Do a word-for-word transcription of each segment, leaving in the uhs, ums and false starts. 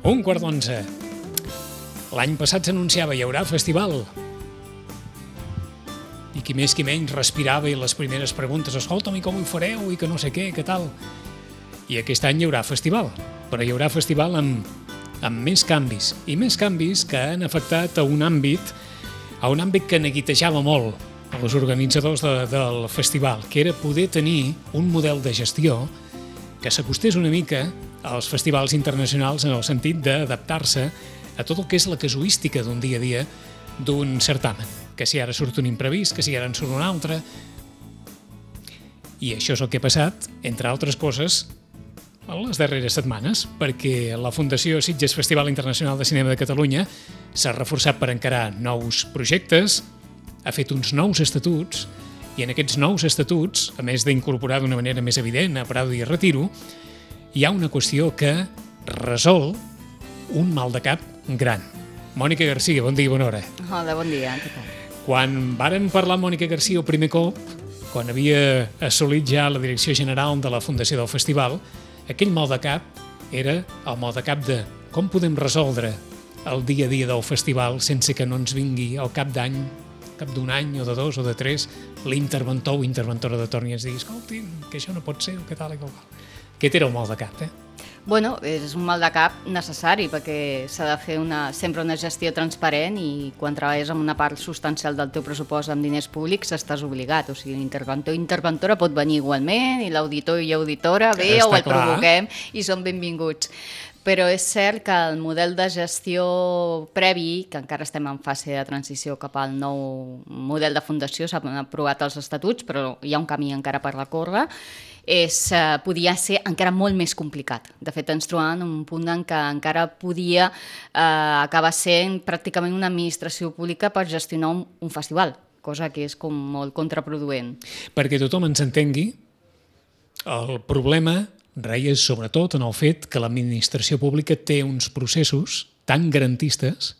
Un quart d'onze. L'any passat s'anunciava hi haurà festival. I qui més qui menys respirava i les primeres preguntes, escolta'm, i com ho fareu, i que no sé què, que tal. I aquest any hi haurà festival, però hi haurà festival amb, amb més canvis, i més canvis que han afectat a un àmbit, a un àmbit que neguitejava molt a els organitzadors de, del festival, que era poder tenir un model de gestió que s'acostés una mica als festivals internacionals en el sentit d'adaptar-se a tot el que és la casuística d'un dia a dia d'un certamen, que si ara surt un imprevist, que si ara en surt un altre. I això és el que ha passat, entre altres coses, en les darreres setmanes, perquè la Fundació Sitges Festival Internacional de Cinema de Catalunya s'ha reforçat per encarar nous projectes, ha fet uns nous estatuts, i en aquests nous estatuts, a més d'incorporar d'una manera més evident a Prado i Retiro, hi ha una qüestió que resol un mal de cap gran. Mònica Garcia, bon dia i bona hora. Hola, bon dia. Què tal? Quan varen parlar amb Mònica Garcia el primer cop, quan havia assolit ja la direcció general de la Fundació del Festival, aquell mal de cap era el mal de cap de com podem resoldre el dia a dia del festival sense que no ens vingui al cap d'any, cap d'un any o de dos o de tres, l'interventor o interventora de torn i ens digui, escoltin, que això no pot ser, o què tal i qual. Aquest era el mal de cap, eh? Bueno, és un mal de cap necessari perquè s'ha de fer una, sempre una gestió transparent i quan treballes amb una part substancial del teu pressupost amb diners públics estàs obligat. O sigui, l'interventor o interventora pot venir igualment i l'auditor i auditora ve o el clar. provoquem i són benvinguts. Però és cert que el model de gestió previ, que encara estem en fase de transició cap al nou model de fundació, s'han aprovat els estatuts, però hi ha un camí encara per recórrer, és, eh, podia ser encara molt més complicat. De fet, ens trobàvem en un punt en què encara podia eh, acabar sent pràcticament una administració pública per gestionar un, un festival, cosa que és com molt contraproduent. Perquè tothom ens entengui, el problema reia sobretot en el fet que l'administració pública té uns processos tan garantistes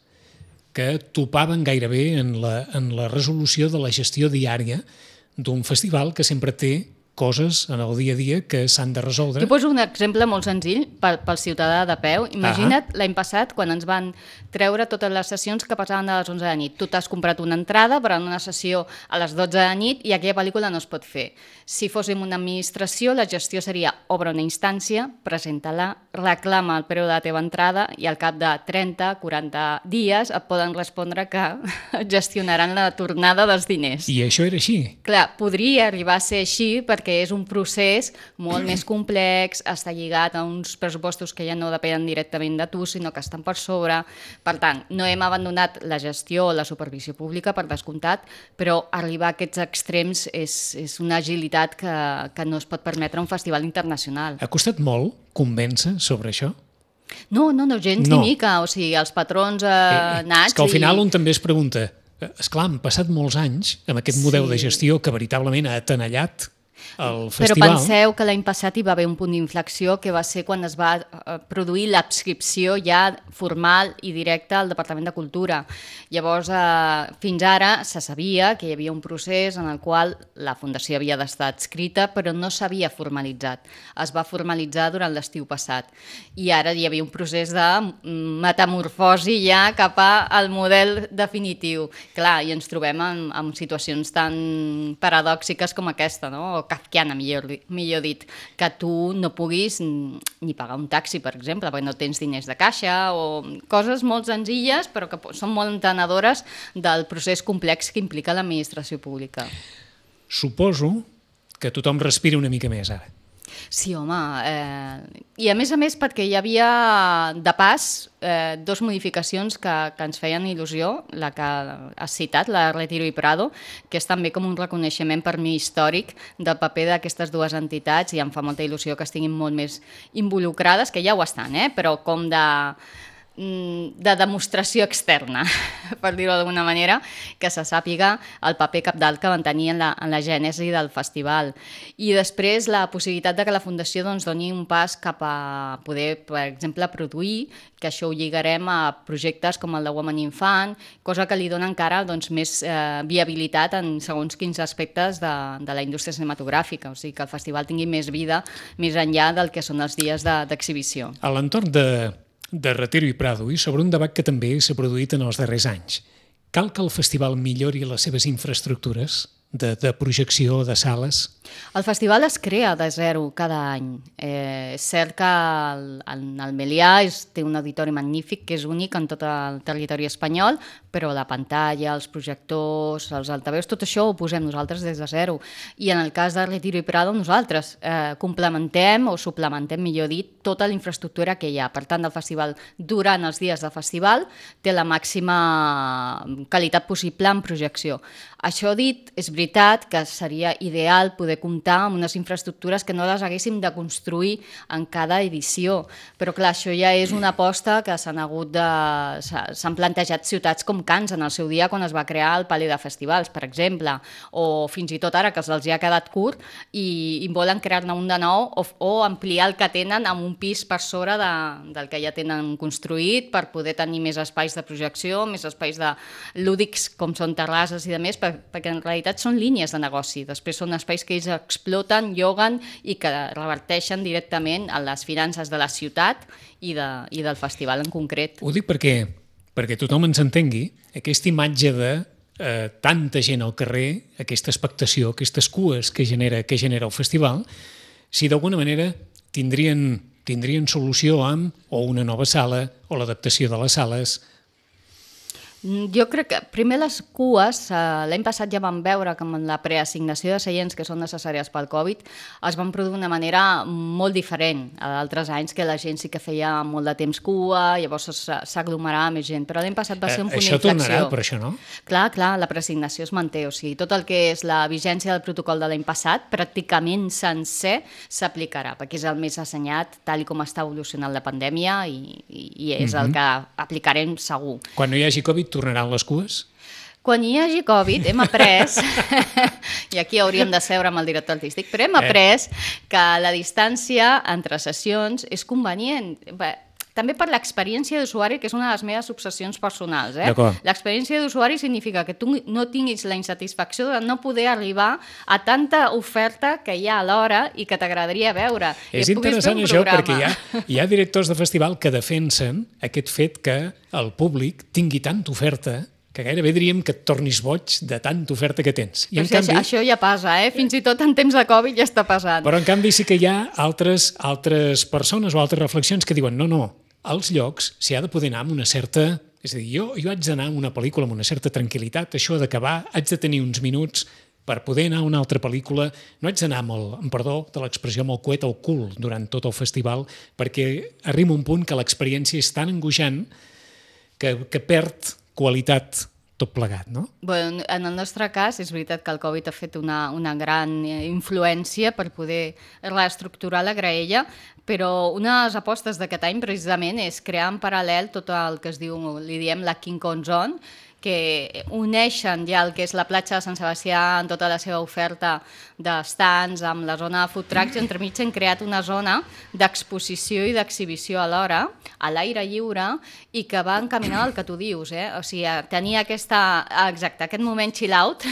que topaven gairebé en la, en la resolució de la gestió diària d'un festival que sempre té coses en el dia a dia que s'han de resoldre. Jo poso un exemple molt senzill pel, pel ciutadà de peu. Imagina't l'any passat quan ens van treure totes les sessions que passaven a les onze de nit. Tu t'has comprat una entrada per a una sessió a les dotze de nit i aquella pel·lícula no es pot fer. Si fóssim una administració, la gestió seria obre una instància, presenta-la, reclama el preu de la teva entrada i al cap de trenta a quaranta dies et poden respondre que gestionaran la tornada dels diners. I això era així. Clar, podria arribar a ser així perquè que és un procés molt més complex, està lligat a uns pressupostos que ja no depenen directament de tu, sinó que estan per sobre. Per tant, no hem abandonat la gestió o la supervisió pública, per descomptat, però arribar a aquests extrems és, és una agilitat que, que no es pot permetre a un festival internacional. Ha costat molt convèncer sobre això? No, no, no, gens no. ni mica. O sigui, els patrons eh, eh, nats... És que al final i... un també es pregunta, esclar, han passat molts anys amb aquest Sí. model de gestió que veritablement ha atenellat el Però festival. penseu que l'any passat hi va haver un punt d'inflexió que va ser quan es va eh, produir l'adscripció ja formal i directa al Departament de Cultura. Llavors, eh, fins ara se sabia que hi havia un procés en el qual la Fundació havia d'estar adscrita, però no s'havia formalitzat. Es va formalitzar durant l'estiu passat. I ara hi havia un procés de metamorfosi ja cap al model definitiu. Clar, i ens trobem en, en situacions tan paradòxiques com aquesta, no? O kafkiana, millor, millor dit, que tu no puguis ni pagar un taxi, per exemple, perquè no tens diners de caixa, o coses molt senzilles, però que són molt entenedores del procés complex que implica l'administració pública. Suposo que tothom respira una mica més ara. Sí, home, eh, i a més a més perquè hi havia de pas eh, dos modificacions que, que ens feien il·lusió, la que has citat, la de Retiro i Prado, que és també com un reconeixement per mi històric del paper d'aquestes dues entitats i em fa molta il·lusió que estiguin molt més involucrades, que ja ho estan, eh, però com de... de demostració externa, per dir-ho d'alguna manera, que se sàpiga el paper cabdal que van tenir en la, en la gènesi del festival. I després la possibilitat de que la Fundació doncs, doni un pas cap a poder, per exemple, produir, que això ho lligarem a projectes com el de Women Infant, cosa que li dona encara doncs, més eh, viabilitat en segons quins aspectes de, de la indústria cinematogràfica, o sigui que el festival tingui més vida més enllà del que són els dies d'exhibició. A l'entorn de de Retiro i Prado i sobre un debat que també s'ha produït en els darrers anys. Cal que el festival millori les seves infraestructures de, de projecció, de sales? El festival es crea de zero cada any. Eh, és cert que el, el, el Melià és, té un auditori magnífic, que és únic en tot el territori espanyol, però la pantalla, els projectors, els altaveus, tot això ho posem nosaltres des de zero. I en el cas de Retiro i Prado, nosaltres eh, complementem o suplementem, millor dit, tota la infraestructura que hi ha. Per tant, el festival, durant els dies del festival, té la màxima qualitat possible en projecció. Això dit, és veritat que seria ideal poder comptar amb unes infraestructures que no les haguéssim de construir en cada edició. Però clar, això ja és una aposta que s'han hagut de... s'han plantejat ciutats com Cans en el seu dia quan es va crear el Palais de Festivals, per exemple, o fins i tot ara que els hi ha quedat curt i, i volen crear-ne un de nou o, o ampliar el que tenen amb un pis per sobre de, del que ja tenen construït per poder tenir més espais de projecció, més espais de lúdics com són terrasses i de més, per, perquè en realitat són línies de negoci. Després són espais que ells exploten, lloguen i que reverteixen directament a les finances de la ciutat i, de, i del festival en concret. Ho dic perquè, perquè tothom ens entengui, aquesta imatge de eh, tanta gent al carrer, aquesta expectació, aquestes cues que genera, que genera el festival, si d'alguna manera tindrien, tindrien solució amb o una nova sala o l'adaptació de les sales. Jo crec que primer les cues, l'any passat ja vam veure que amb la preassignació de seients que són necessàries pel Covid es van produir d'una manera molt diferent a d'altres anys que la gent sí que feia molt de temps cua, llavors s'aglomerava més gent, però l'any passat va ser un punt d'inflexió. Això tornarà, per això, no? Clar, clar, la preassignació es manté, o sigui, tot el que és la vigència del protocol de l'any passat pràcticament sencer s'aplicarà, perquè és el més assenyat tal com està evolucionant la pandèmia i, i, i és mm-hmm. el que aplicarem segur. Quan no hi hagi Covid tornaran les cues? Quan hi hagi Covid hem après, i aquí hauríem de seure amb el director artístic, però hem après que la distància entre sessions és convenient. Bé, també per l'experiència d'usuari, que és una de les meves obsessions personals. Eh? L'experiència d'usuari significa que tu no tinguis la insatisfacció de no poder arribar a tanta oferta que hi ha a l'hora i que t'agradaria veure. És interessant això perquè hi ha, hi ha directors de festival que defensen aquest fet que el públic tingui tanta oferta que gairebé diríem que et tornis boig de tanta oferta que tens. I en canvi, això ja passa, eh? Fins i tot en temps de Covid ja està passant. Però en canvi sí que hi ha altres, altres persones o altres reflexions que diuen no, no, als llocs s'hi ha de poder anar amb una certa... És a dir, jo, jo haig d'anar a una pel·lícula amb una certa tranquil·litat, això ha d'acabar, haig de tenir uns minuts per poder anar a una altra pel·lícula, no haig d'anar amb el, amb perdó de l'expressió, amb el coet al cul durant tot el festival, perquè arriba un punt que l'experiència és tan angoixant que, que perd qualitat tot plegat, no? Bueno, en el nostre cas, és veritat que el Covid ha fet una, una gran influència per poder reestructurar la graella, però una de les apostes d'aquest any precisament és crear en paral·lel tot el que es diu, li diem la King Kong Zone, que uneixen ja el que és la platja de Sant Sebastià en tota la seva oferta d'estants amb la zona de food trucks i entremig han creat una zona d'exposició i d'exhibició alhora, a l'aire lliure i que va encaminada al que tu dius, eh? O sigui, tenir aquesta, exacte, aquest moment chill out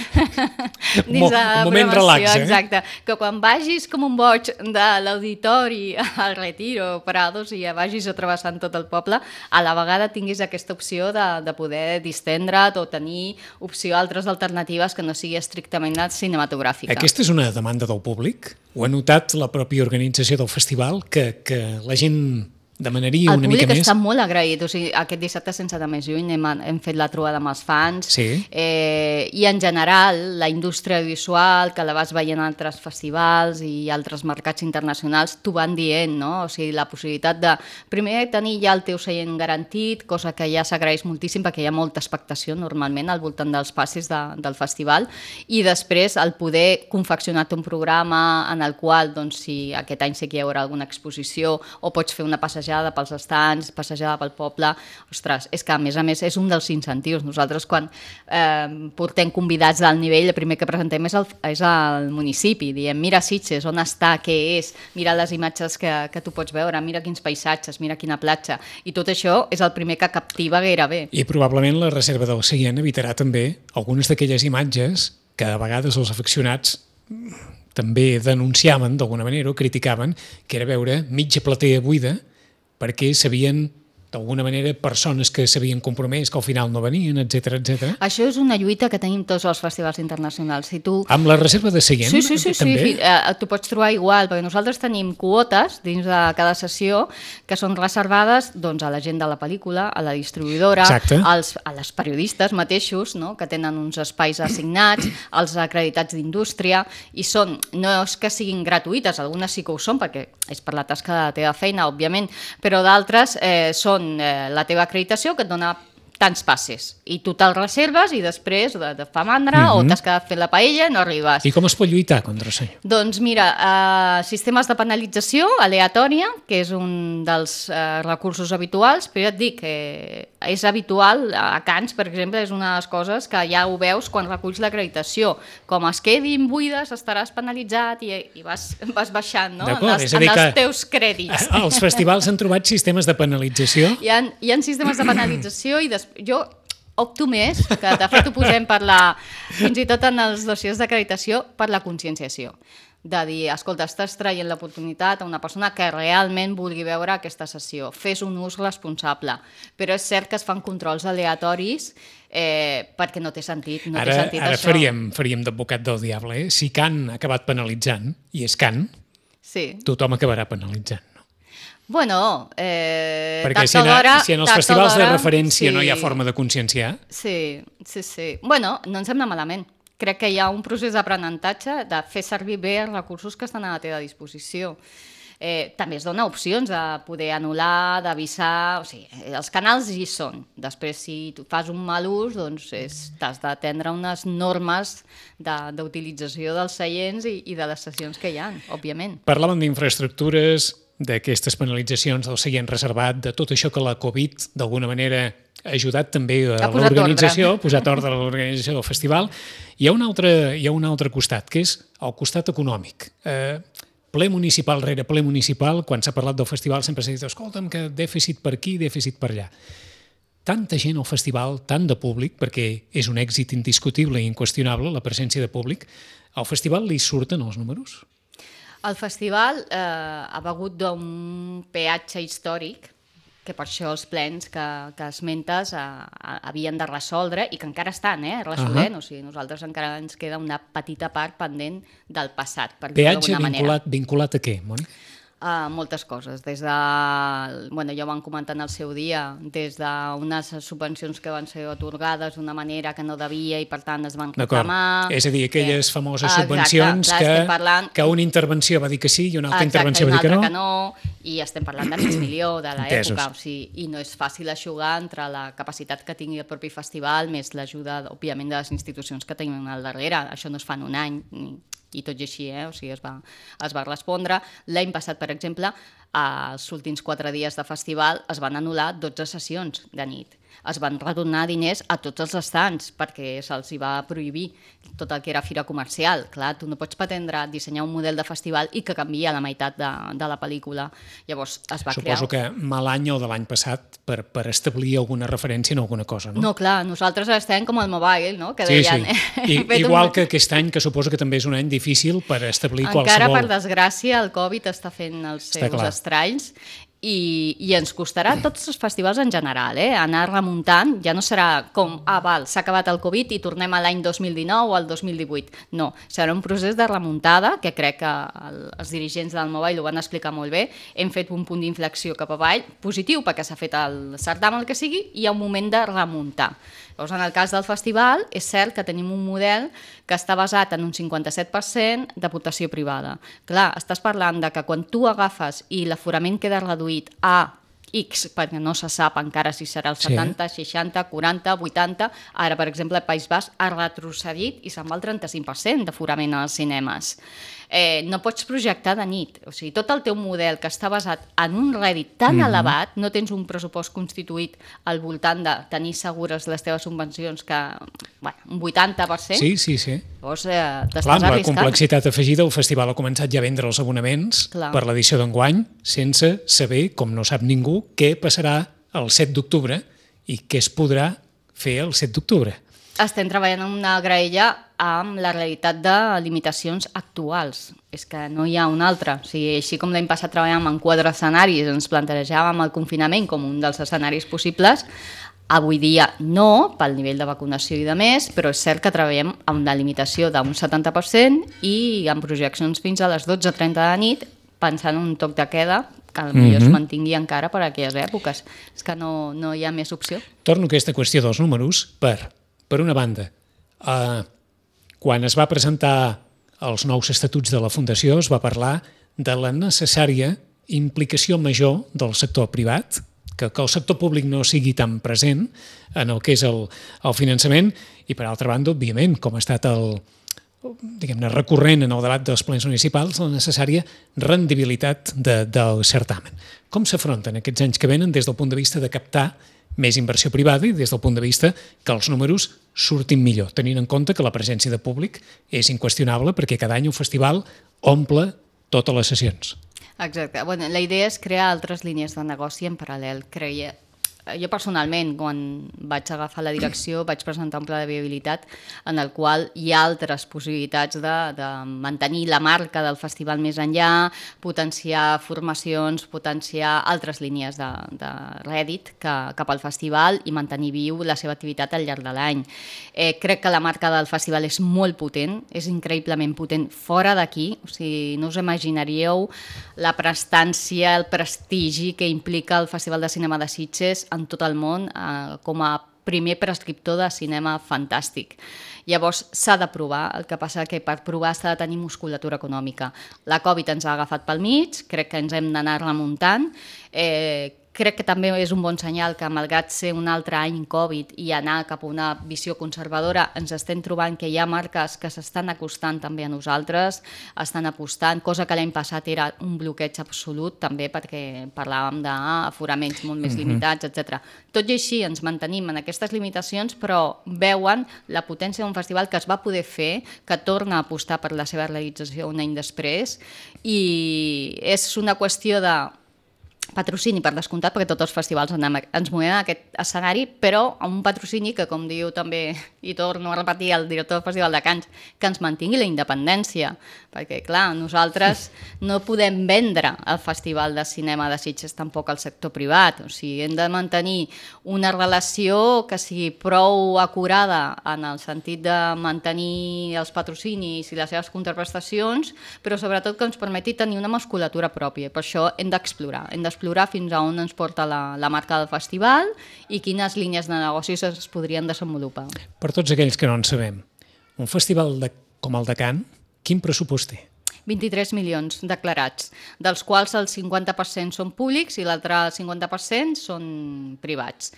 dins de la moment relax, eh? Exacte, que quan vagis com un boig de l'auditori al Retiro, Prados i ja vagis travessant tot el poble, a la vegada tinguis aquesta opció de, de poder distendre o tenir opció a altres alternatives que no sigui estrictament cinematogràfica. Aquesta és una demanda del públic? Ho ha notat la pròpia organització del festival, que, que la gent demanaria una mica més? El públic està molt agraït, o sigui, aquest dissabte sense anar més lluny hem, hem fet la trobada amb els fans, sí. eh, i en general la indústria audiovisual, que la vas veient en altres festivals i altres mercats internacionals, t'ho van dient, no? O sigui, la possibilitat de, primer, tenir ja el teu seient garantit, cosa que ja s'agraeix moltíssim perquè hi ha molta expectació normalment al voltant dels passis de, del festival, i després el poder confeccionar-te un programa en el qual, doncs, si aquest any sí que hi haurà alguna exposició o pots fer una passejada pels estants, passejada pel poble, ostres, és que a més a més és un dels incentius. Nosaltres quan eh, portem convidats d'alt nivell, el primer que presentem és el, és el municipi, diem mira Sitges, on està, què és, mira les imatges que, que tu pots veure, mira quins paisatges, mira quina platja, i tot això és el primer que captiva gairebé. I probablement la reserva del seient evitarà també algunes d'aquelles imatges que a vegades els afeccionats també denunciaven d'alguna manera o criticaven, que era veure mitja platea buida perquè s'havien d'alguna manera, persones que s'havien compromès, que al final no venien, etcètera, etcètera. Això és una lluita que tenim tots els festivals internacionals. Si tu... Amb la reserva de seient, sí, sí, sí, també? Sí, eh, t'ho pots trobar igual, perquè nosaltres tenim quotes dins de cada sessió que són reservades doncs, a la gent de la pel·lícula, a la distribuïdora, als, a les periodistes mateixos, no? Que tenen uns espais assignats, als acreditats d'indústria, i són, no és que siguin gratuïtes, algunes sí que ho són, perquè és per la tasca de la teva feina, òbviament, però d'altres eh, són eh, la teva acreditació que et dona tants passes, i tu te'l reserves i després et fa mandra mm-hmm. o t'has quedat fent la paella i no arribes. I com es pot lluitar contra això? Doncs mira, eh, sistemes de penalització aleatòria, que és un dels eh, recursos habituals, però ja et dic que és habitual, a Cans, per exemple, és una de les coses que ja ho veus quan reculls l'acreditació. Com es quedin buides, estaràs penalitzat i, i vas, vas baixant, no? En els, en els teus crèdits. Els festivals han trobat sistemes de penalització? Hi ha, hi ha sistemes de penalització i després jo opto més, que de fet ho posem per la, fins i tot en els dossiers d'acreditació, per la conscienciació. De dir, escolta, estàs traient l'oportunitat a una persona que realment vulgui veure aquesta sessió. Fes un ús responsable. Però és cert que es fan controls aleatoris eh, perquè no té sentit, no ara, té sentit ara això. faríem, faríem d'advocat del diable. Eh? Si Can ha acabat penalitzant, i és Can, sí. Tothom acabarà penalitzant. Bueno, eh, perquè si, hora, si en els festivals de referència sí. no hi ha forma de conscienciar... Sí, sí, sí. Bueno, no ens sembla malament. Crec que hi ha un procés d'aprenentatge de fer servir bé els recursos que estan a la teva disposició. Eh, també es dona opcions de poder anul·lar, d'avisar... O sigui, els canals hi són. Després, si tu fas un mal ús, doncs t'has d'atendre unes normes d'utilització dels seients i, i de les sessions que hi ha, òbviament. Parlàvem d'infraestructures, d'aquestes penalitzacions del seient reservat, de tot això que la Covid d'alguna manera ha ajudat també a l'organització, ha posat ordre a l'organització del festival. Hi ha un altre, hi ha un altre costat, que és el costat econòmic. Eh, ple municipal rere ple municipal, quan s'ha parlat del festival sempre s'ha dit, escolta'm, que dèficit per aquí, dèficit per allà. Tanta gent al festival, tant de públic, perquè és un èxit indiscutible i inqüestionable la presència de públic, al festival li surten els números? El festival eh, ha begut d'un peatge històric, que per això els plens que, que esmentes eh, havien de resoldre i que encara estan eh, resolent. Uh-huh. O sigui, nosaltres encara ens queda una petita part pendent del passat, per dir-ho d'alguna manera. Peatge vinculat, vinculat a què, Mònica? Uh, moltes coses, des de, bueno, ja ho van comentar en el seu dia, des d'unes subvencions que van ser atorgades d'una manera que no devia i per tant es van reclamar. És a dir, aquelles eh, famoses subvencions exacte, clar, que, parlant... que una intervenció va dir que sí i una altra exacte, intervenció va dir que no. que no. I estem parlant de mig milió de l'època, o sigui, i no és fàcil eixugar entre la capacitat que tingui el propi festival més l'ajuda, òbviament, de les institucions que tenim al darrere. Això no es fa en un any, ni i tot i així, eh? O sigui, es va, es va respondre. L'any passat, per exemple, als últims quatre dies de festival es van anul·lar dotze sessions de nit. Es van retornar diners a tots els estants perquè se'ls hi va prohibir tot el que era fira comercial. Clar, tu no pots pretendre dissenyar un model de festival i que canvia la meitat de, de la pel·lícula. Llavors es va crear... Suposo que mal any o de l'any passat per, per establir alguna referència en alguna cosa, no? No, clar, nosaltres estem com el mobile, no? Que sí, deien, sí. I, igual un... que aquest any, que suposo que també és un any difícil per establir encara, qualsevol... Encara, per desgràcia, el Covid està fent els seus estralls. I, i ens costarà tots els festivals en general, eh? Anar remuntant, ja no serà com, ah, val, s'ha acabat el Covid i tornem a l'any dos mil dinou o al dos mil divuit. No, serà un procés de remuntada, que crec que el, els dirigents del Mobile ho van explicar molt bé. Hem fet un punt d'inflexió cap avall, positiu, perquè s'ha fet el certamen, el que sigui, i hi ha un moment de remuntar. Llavors, en el cas del festival, és cert que tenim un model que està basat en un cinquanta-set per cent d'aportació privada. Clar, estàs parlant de que quan tu agafes i l'aforament queda reduït a X, perquè no se sap encara si serà el setanta, sí. seixanta, quaranta, vuitanta, ara, per exemple, el País Basc ha retrocedit i se'n va al trenta-cinc per cent d'aforament als cinemes. Eh, no pots projectar de nit. O sigui, tot el teu model que està basat en un rèdit tan mm-hmm. elevat, no tens un pressupost constituït al voltant de tenir segures les teves subvencions que, bueno, un vuitanta per cent. Sí, sí, sí. Llavors, eh, t'estàs Clar, amb arriscant. la complexitat afegida, el festival ha començat ja a vendre els abonaments Clar. per l'edició d'enguany, sense saber, com no sap ningú, què passarà el set d'octubre i què es podrà fer el set d'octubre. Estem treballant en una graella amb la realitat de limitacions actuals. És que no hi ha una altra. O sigui, així com l'any passat treballàvem en quatre escenaris, ens plantejàvem el confinament com un dels escenaris possibles, avui dia no, pel nivell de vacunació i de més, però és cert que treballem amb una limitació d'un setanta per cent i amb projeccions fins a les dotze trenta de la nit, pensant en un toc de queda que potser mm-hmm. es mantingui encara per a aquelles èpoques. És que no, no hi ha més opció. Torno a aquesta qüestió dels números per, per una banda, eh, quan es va presentar els nous estatuts de la Fundació es va parlar de la necessària implicació major del sector privat, que, que el sector públic no sigui tan present en el que és el, el finançament i, per altra banda, òbviament, com ha estat el, diguem-ne, recurrent en el debat dels plens municipals, la necessària rendibilitat de, del certamen. Com s'afronten aquests anys que venen des del punt de vista de captar més inversió privada i des del punt de vista que els números surtin millor, tenint en compte que la presència de públic és inqüestionable perquè cada any un festival omple totes les sessions? Exacte. Bueno, la idea és crear altres línies de negoci en paral·lel. Creia... Jo personalment, quan vaig agafar la direcció, vaig presentar un pla de viabilitat en el qual hi ha altres possibilitats de, de mantenir la marca del festival més enllà, potenciar formacions, potenciar altres línies de, de rèdit que, cap al festival i mantenir viu la seva activitat al llarg de l'any. Eh, crec que la marca del festival és molt potent, és increïblement potent fora d'aquí, o sigui, no us imaginaríeu la prestància, el prestigi que implica el Festival de Cinema de Sitges en tot el món eh, com a primer prescriptor de cinema fantàstic. Llavors s'ha de provar, el que passa que per provar s'ha de tenir musculatura econòmica. La Covid ens ha agafat pel mig, crec que ens hem d'anar remuntant, eh, crec que també és un bon senyal que, malgrat ser un altre any Covid i anar cap a una visió conservadora, ens estem trobant que hi ha marques que s'estan acostant també a nosaltres, estan apostant, cosa que l'any passat era un bloqueig absolut, també perquè parlàvem d'aforaments molt més limitats, etcètera. Tot i així ens mantenim en aquestes limitacions, però veuen la potència d'un festival que es va poder fer, que torna a apostar per la seva realització un any després, i és una qüestió de patrocini, per descomptat, perquè tots els festivals ens movem en aquest escenari, però amb un patrocini que, com diu també, i torno a repetir el director del Festival de Cants, que ens mantingui la independència, perquè, clar, nosaltres no podem vendre el Festival de Cinema de Sitges tampoc al sector privat, o sigui, hem de mantenir una relació que sigui prou acurada en el sentit de mantenir els patrocinis i les seves contraprestacions, però sobretot que ens permeti tenir una musculatura pròpia. Per això hem d'explorar, hem d'explorar fins a on ens porta la, la marca del festival i quines línies de negocis es podrien desenvolupar. Per tots aquells que no en sabem, un festival de, com el de Can, quin pressupost té? vint-i-tres milions declarats, dels quals el cinquanta per cent són públics i l'altre cinquanta per cent són privats.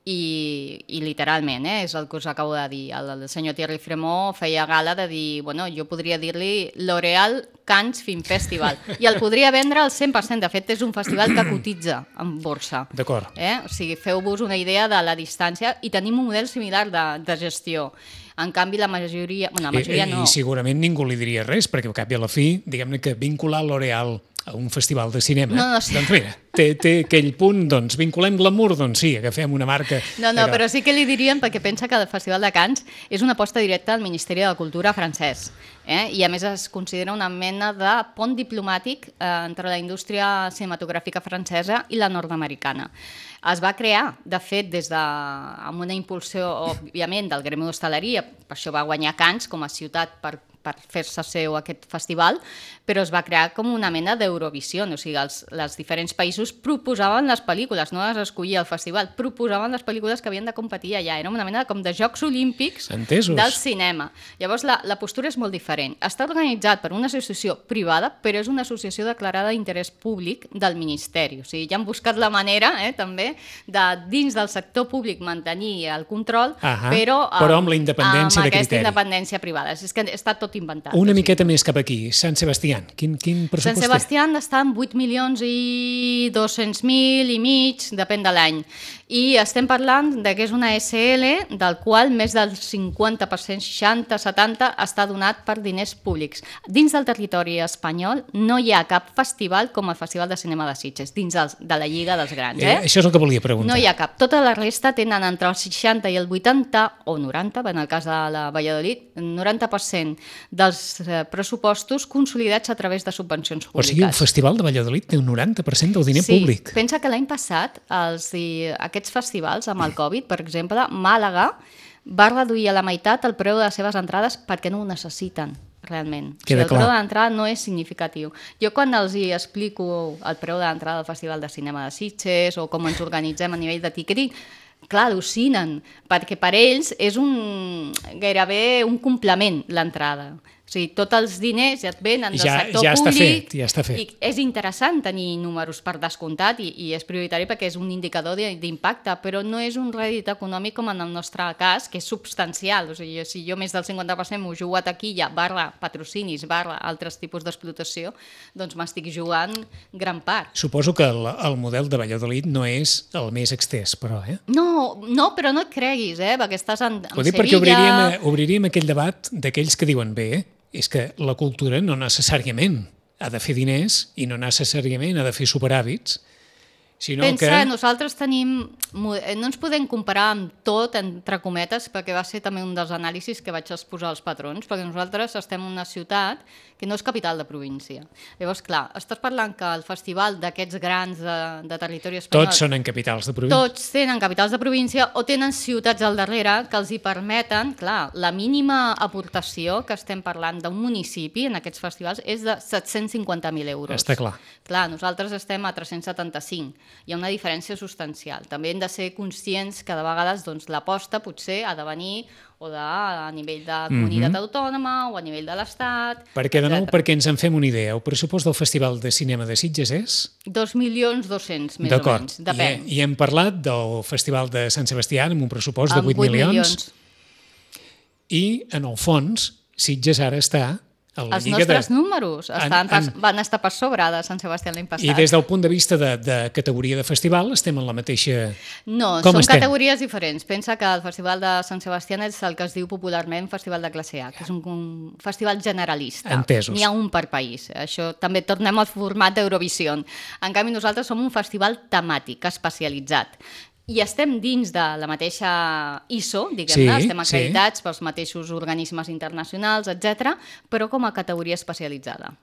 I, i literalment, eh, és el que us acabo de dir. El, el senyor Thierry Fremont feia gala de dir, bueno, jo podria dir-li L'Oréal Cannes Film Festival, i el podria vendre al cent per cent. De fet, és un festival que cotitza en borsa. D'acord. Eh? O sigui, feu-vos una idea de la distància i tenim un model similar de, de gestió. En canvi, la majoria... Bueno, la majoria I, no. I segurament ningú li diria res, perquè al cap i a la fi, diguem-ne que vincular L'Oréal a un festival de cinema, no, no, sí. doncs mira, té, té aquell punt, doncs vinculem glamour, doncs sí, agafem una marca... No, no, però... però sí que li dirien, perquè pensa que el Festival de Cannes és una aposta directa al Ministeri de Cultura francès, eh? I a més es considera una mena de pont diplomàtic eh, entre la indústria cinematogràfica francesa i la nord-americana. Es va crear, de fet, des de, amb una impulsió, òbviament, del gremi d'hostaleria, per això va guanyar Cannes com a ciutat per per fer-se seu aquest festival, però es va crear com una mena d'Eurovisió, o sigui, els, els diferents països proposaven les pel·lícules, no les escollia el festival, proposaven les pel·lícules que havien de competir allà, era una mena com de Jocs Olímpics Entesos. Del cinema. Llavors la, la postura és molt diferent. Està organitzat per una associació privada, però és una associació declarada d'interès públic del Ministeri, o sigui, ja han buscat la manera, eh, també, de dins del sector públic mantenir el control, Ahà, però, però amb la independència amb de aquesta criteri. independència privada. És que està tot inventat. Una miqueta més cap aquí, Sant Sebastián, quin, quin pressupost Sant té? Sebastián està en vuit milions i dos-cents mil i mig, depèn de l'any. I estem parlant de que és una S L del qual més del cinquanta per cent, seixanta, setanta, està donat per diners públics. Dins del territori espanyol no hi ha cap festival com el Festival de Cinema de Sitges, dins dels, de la Lliga dels Grans. Eh? Eh, això és el que volia preguntar. No hi ha cap. Tota la resta tenen entre el seixanta i el vuitanta, o noranta, en el cas de la Valladolid, noranta per cent dels eh, pressupostos consolidats a través de subvencions públiques. O sigui, el Festival de Valladolid té un noranta per cent del diner sí, públic. Pensa que l'any passat els, i, aquests festivals amb el Covid, per exemple, Màlaga va reduir a la meitat el preu de les seves entrades perquè no ho necessiten realment. O sigui, el preu de l'entrada no és significatiu. Jo quan els hi explico el preu de l'entrada al Festival de Cinema de Sitges o com ens organitzem a nivell de ticketing, clar, al·lucinen, perquè per ells és un, gairebé un complement l'entrada. O sigui, tots els diners ja et venen del ja, sector ja públic. Està fet, ja està fet. I és interessant tenir números per descomptat i, i és prioritari perquè és un indicador d'impacte, però no és un rèdit econòmic com en el nostre cas, que és substancial. O sigui, si jo més del cinquanta per cent m'ho jugo a taquilla, barra patrocinis, barra altres tipus d'explotació, doncs m'estic jugant gran part. Suposo que el, el model de Valladolid no és el més extès, però, eh? No, no, però no et creguis, eh? Perquè estàs en, en Ho dic Sevilla... perquè obriríem, obriríem aquell debat d'aquells que diuen bé, és que la cultura no necessàriament ha de fer diners i no necessàriament ha de fer superàvits, sinó Pensa, que... nosaltres tenim... No ens podem comparar amb tot, entre cometes, perquè va ser també un dels anàlisis que vaig exposar als patrons, perquè nosaltres estem en una ciutat que no és capital de província. Llavors, clar, estàs parlant que el festival d'aquests grans de, de territori espanyol... Tots són en capitals de província. Tots tenen capitals de província o tenen ciutats al darrere que els hi permeten... Clar, la mínima aportació que estem parlant d'un municipi en aquests festivals és de set-cents cinquanta mil euros. Està clar. Clar, nosaltres estem a tres-cents setanta-cinc. Hi ha una diferència substancial. També hem de ser conscients que de vegades doncs, l'aposta potser ha de venir o de, a nivell de comunitat mm-hmm. autònoma o a nivell de l'Estat, perquè, de nou, perquè ens en fem una idea, el pressupost del Festival de Cinema de Sitges és? dos milions dos-cents, més o menys, depèn. I, I hem parlat del Festival de Sant Sebastián amb un pressupost de vuit milions. I, en el fons, Sitges ara està... Els nostres de... números estan en, en... Pas, van estar per sobre de Sant Sebastià l'any passat. I des del punt de vista de, de categoria de festival estem en la mateixa... No, Com són estem? Categories diferents. Pensa que el Festival de Sant Sebastià és el que es diu popularment Festival de classe A, que és un, un festival generalista. Entesos. N'hi ha un per país. Això també tornem al format d'Eurovisió. En canvi, nosaltres som un festival temàtic, especialitzat. I estem dins de la mateixa I S O, diguem-ne, sí, estem acreditats sí. pels mateixos organismes internacionals, etcètera, però com a categoria especialitzada.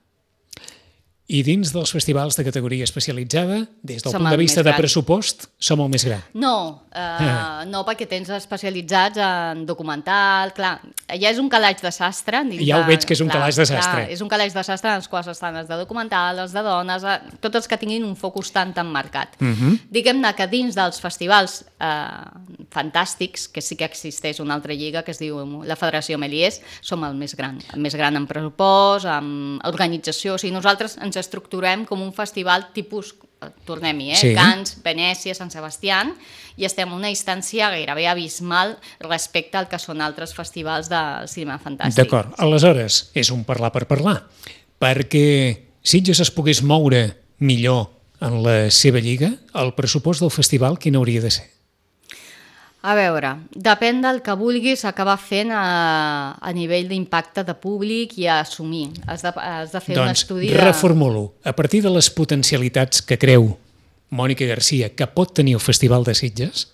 I dins dels festivals de categoria especialitzada, des del som punt de vista de gran. pressupost, som el més gran? No, eh, ah. no perquè tens especialitzats en documental, clar, ja és un calaix de sastre. Ja ho veig que és un clar, calaix de sastre. Clar, és un calaix de sastre en els quals estan els de documental, els de dones, eh, tots els que tinguin un focus tan tan marcat. Uh -huh. Diguem-ne que dins dels festivals eh, fantàstics, que sí que existeix una altra lliga que es diu la Federació Méliès, som el més gran, el més gran en pressupost, en organització, o sigui, nosaltres ens estructurem com un festival tipus, tornem-hi, eh? Sí. Cannes, Venècia, Sant Sebastián, i estem a una distància gairebé abismal respecte al que són altres festivals de cinema fantàstic. D'acord, aleshores és un parlar per parlar, perquè Sitges es pogués moure millor en la seva lliga, el pressupost del festival quin hauria de ser? A veure, depèn del que vulguis acabar fent a, a nivell d'impacte de públic i a assumir. Has de, has de fer doncs, un estudi de... Doncs reformulo. A partir de les potencialitats que creu Mònica Garcia que pot tenir el Festival de Sitges,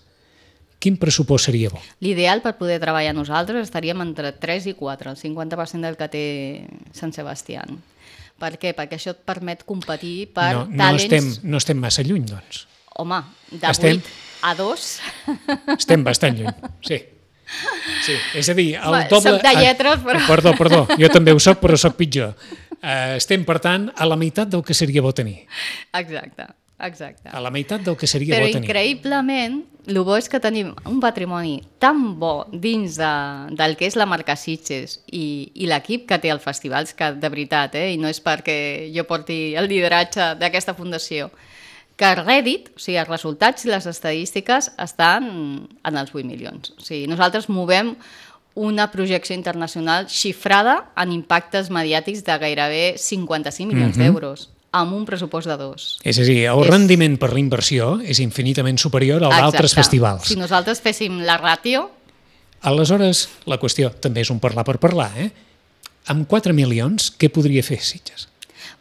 quin pressupost seria bo? L'ideal per poder treballar nosaltres estaríem entre tres i quatre, el cinquanta per cent del que té Sant Sebastián. Per què? Perquè això et permet competir per no, no talents... Estem, no estem massa lluny, doncs. Home, de estem... vuit a dos... Estem bastant lluny, sí. Sí, és a dir, el Va, doble... Soc de lletres, però... Ah, perdó, perdó, jo també ho soc, però soc pitjor. Uh, estem, per tant, a la meitat del que seria bo tenir. Exacte, exacte. A la meitat del que seria però bo tenir. Però increïblement, el bo és que tenim un patrimoni tan bo dins de, del que és la marca Sitges i, i l'equip que té el festival, que de veritat, eh, i no és perquè jo porti el lideratge d'aquesta fundació, que el rèdit, o sigui, els resultats i les estadístiques estan en els vuit milions. O sigui, nosaltres movem una projecció internacional xifrada en impactes mediàtics de gairebé cinquanta-cinc milions mm-hmm. d'euros, amb un pressupost de dos. És a dir, el és... rendiment per la inversió és infinitament superior al d'altres festivals. Si nosaltres féssim la ràtio... Aleshores, la qüestió també és un parlar per parlar, eh? Amb quatre milions, què podria fer Sitges?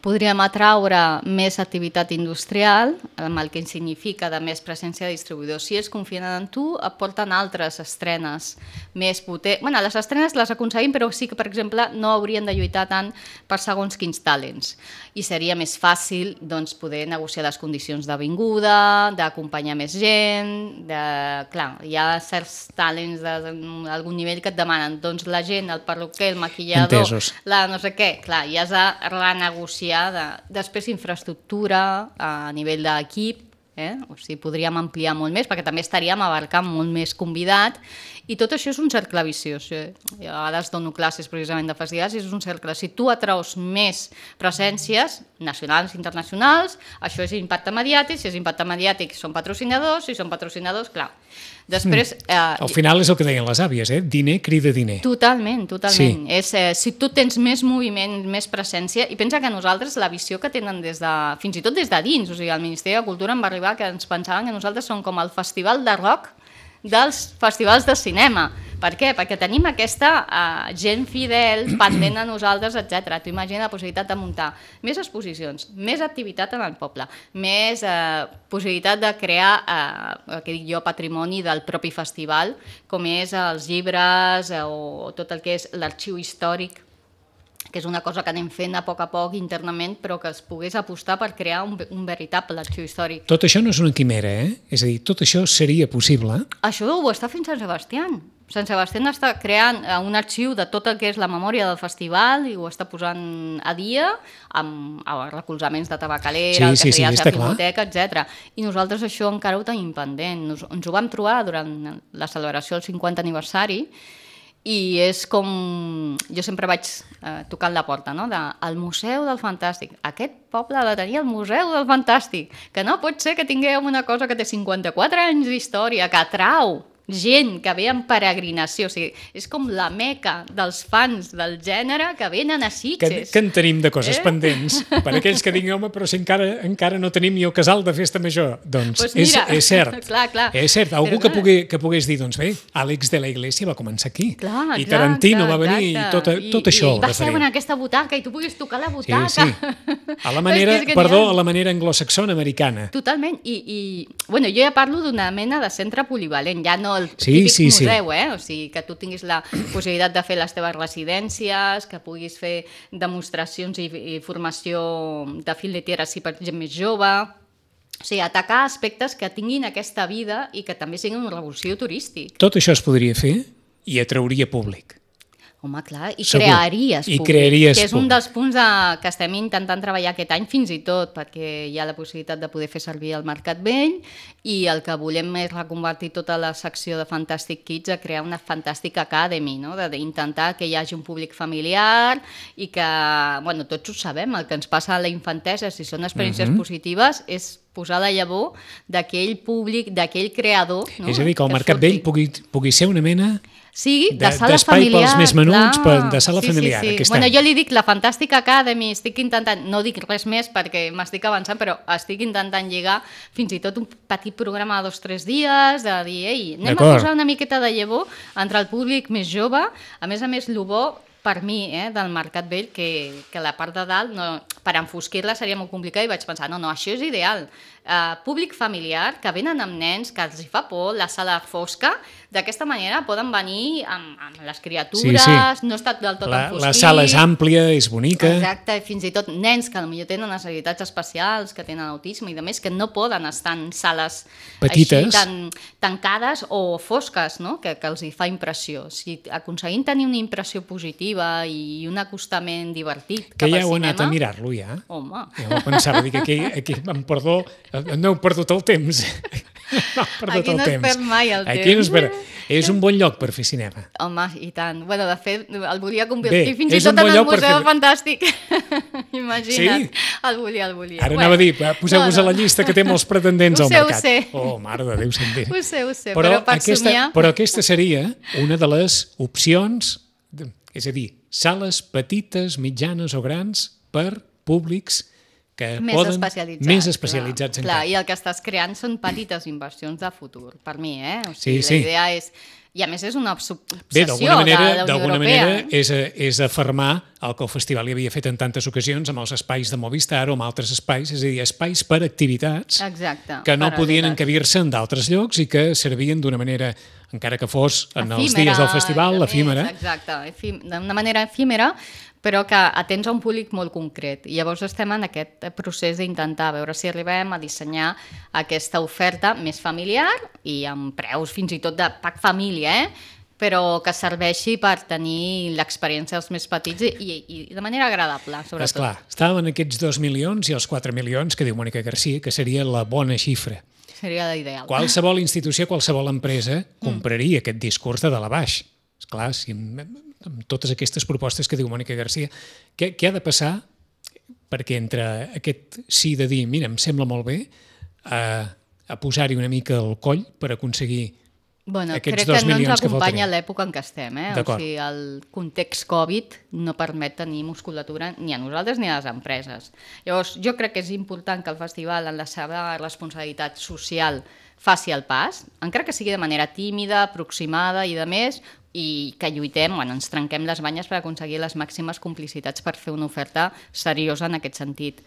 Podríem atraure més activitat industrial, amb el que significa de més presència de distribuïdors. Si ells confien en tu, et porten altres estrenes més potents. Bueno, les estrenes les aconseguim, però sí que, per exemple, no haurien de lluitar tant per segons quins talents. I seria més fàcil doncs, poder negociar les condicions de vinguda, d'acompanyar més gent... De... Clar, hi ha certs talents d'algun nivell que et demanen doncs, la gent, el perruquer, el maquillador, Entesos. la no sé què. Clar, i has de renegociar. De, després infraestructura a nivell d'equip, eh? O sigui, podríem ampliar molt més perquè també estaríem abarcant molt més convidat i tot això és un cercle viciós. Eh? Jo a vegades dono classes precisament de festivals i és un cercle. Si tu atraus més presències nacionals i internacionals, això és impacte mediàtic, si és impacte mediàtic són patrocinadors, si són patrocinadors, clar. Després, eh, Al final és el que deien les àvies, eh? Diner crida diner. Totalment, totalment. Sí. És, eh, si tu tens més moviment, més presència, i pensa que nosaltres la visió que tenen des de, fins i tot des de dins, o sigui, el Ministeri de Cultura em va arribar que ens pensaven que nosaltres som com el festival de rock dels festivals de cinema. Per què? Perquè tenim aquesta uh, gent fidel, pendent a nosaltres, etcètera. Tu imagina la possibilitat de muntar més exposicions, més activitat en el poble, més uh, possibilitat de crear, uh, que dic jo, patrimoni del propi festival, com és els llibres uh, o tot el que és l'arxiu històric, que és una cosa que anem fent a poc a poc internament, però que es pogués apostar per crear un, un veritable arxiu històric. Tot això no és una quimera, eh? És a dir, tot això seria possible. Això ho està fent Sant Sebastià. Sant Sebastià està creant un arxiu de tot el que és la memòria del festival i ho està posant a dia amb, amb recolzaments de Tabacalera, sí, sí, sí, de Filmoteca, etcètera. I nosaltres això encara ho tenim pendent. Nos, ens ho vam trobar durant la celebració del cinquanta aniversari i és com... Jo sempre vaig eh, tocant la porta, no? De, el Museu del Fantàstic. Aquest poble ha de tenir el Museu del Fantàstic. Que no pot ser que tinguem una cosa que té cinquanta-quatre anys d'història, que atrau gent que ve en peregrinació. O sigui, és com la meca dels fans del gènere que venen a Sitges. Que, que en tenim de coses eh? pendents. Per aquells que diuen, home, però si encara, encara no tenim ni el casal de festa major. Doncs pues mira, és, és cert. Clar, clar. És cert. Algú que, pugui, que pogués dir, doncs bé, Àlex de la Iglesia va començar aquí. Clar, I clar, Tarantino clar, va venir exacte. i tot, tot I, això. I va ser en aquesta butaca i tu puguis tocar la butaca. Sí, sí. A la manera, perdó, a la manera anglosaxona americana. Totalment. I, i bueno, jo ja parlo d'una mena de centre polivalent, ja no el sí, típic sí, museu, eh? O sigui, que tu tinguis la possibilitat de fer les teves residències, que puguis fer demostracions i, i formació de fil de tierra si per gent més jove. O sigui, atacar aspectes que tinguin aquesta vida i que també siguin un revulsiu turístic. Tot això es podria fer i atrauria públic. Home, clar, i Segur. crearies I públic, crearies que és un públic. dels punts de, que estem intentant treballar aquest any fins i tot, perquè hi ha la possibilitat de poder fer servir el Mercat Vell i el que volem és reconvertir tota la secció de Fantastic Kids a crear una Fantastic Academy, no? D'intentar que hi hagi un públic familiar i que, bueno, tots ho sabem, el que ens passa a la infantesa, si són experiències uh-huh. positives, és posar la llavor d'aquell públic, d'aquell creador. No? És a dir, que el Mercat Vell pugui, pugui ser una mena sí, de, de sala d'espai familiar, pels més menuts, per, de sala sí, familiar. Sí, sí. Aquest Bueno, any. jo li dic la Fantastic Academy, estic intentant, no dic res més perquè m'estic avançant, però estic intentant lligar fins i tot un petit programa de dos o tres dies, de dir, ei, anem a posar una miqueta de llavor entre el públic més jove, a més a més, el bo per mi, eh, del Mercat Vell, que, que la part de dalt, no, per enfosquir-la seria molt complicat i vaig pensar, no, no, això és ideal. Uh, públic familiar, que venen amb nens, que els hi fa por, la sala fosca, d'aquesta manera poden venir amb, amb les criatures, sí, sí. No està del tot la, enfosquit. La sala és àmplia, és bonica. Exacte, fins i tot nens que potser tenen necessitats especials, que tenen autisme i demés, que no poden estar en sales petites, així tan tancades o fosques, no? que, que els hi fa impressió. Si aconseguim tenir una impressió positiva i un acostament divertit que cap ja al heu cinema... anat a mirar-lo ja. Home. Jo pensava dir que aquí, aquí amb perdó, No heu perdut el temps. No, Aquí no es perd mai el Aquí temps. No es perd. És un bon lloc per fer cinema. Home, i tant. Bueno, de fet, el volia convertir Bé, fins i és un tot bon en el lloc per Museu fer- Fantàstic. Imagina't. Sí? El volia, el volia. Ara anava a dir, poseu-vos a la llista que té molts pretendents Ho al sé, ho mercat. sé. Oh, mare de Déu, sentir. Ho sé, ho sé, però, per aquesta, somiar... però aquesta seria una de les opcions, de, és a dir, sales petites, mitjanes o grans per públics que més poden... especialitzats. Més especialitzats clar, clar, encara. i el que estàs creant són petites inversions de futur, per mi, eh? O Sí, sigui, sí. La idea és... I a més és una obs- Bé, obsessió d'alguna manera, de la Unió d'alguna Europea. manera és, és afermar el que el festival hi havia fet en tantes ocasions amb els espais de Movistar o amb altres espais, és a dir, espais per activitats Exacte, que no podien paral·leles. encabir-se en d'altres llocs i que servien d'una manera, encara que fos en els Efímera, dies del festival, i de l'efímera. més, Exacte, efí- d'una manera efímera, però que atens a un públic molt concret. I llavors estem en aquest procés d'intentar veure si arribem a dissenyar aquesta oferta més familiar i amb preus fins i tot de pack família, eh? però que serveixi per tenir l'experiència dels més petits i, i, i de manera agradable, sobretot. Esclar, estàvem en aquests dos milions i els quatre milions que diu Mònica Garcia, que seria la bona xifra. Seria l'ideal. Qualsevol institució, qualsevol empresa compraria mm. aquest discurs de dalt a baix. Esclar, si amb, amb totes aquestes propostes que diu Mònica Garcia, què, què ha de passar perquè entre aquest sí de dir, mira, em sembla molt bé, a, a posar-hi una mica el coll per aconseguir Bueno, aquests crec dos que no ens milions que acompanya faltarien. l'època en què estem, eh? O D'acord. sigui, el context Covid no permet tenir musculatura ni a nosaltres ni a les empreses. Llavors, jo crec que és important que el festival, en la seva responsabilitat social, faci el pas, encara que sigui de manera tímida, aproximada i de més, i que lluitem, bueno, ens trenquem les banyes per aconseguir les màximes complicitats per fer una oferta seriosa en aquest sentit.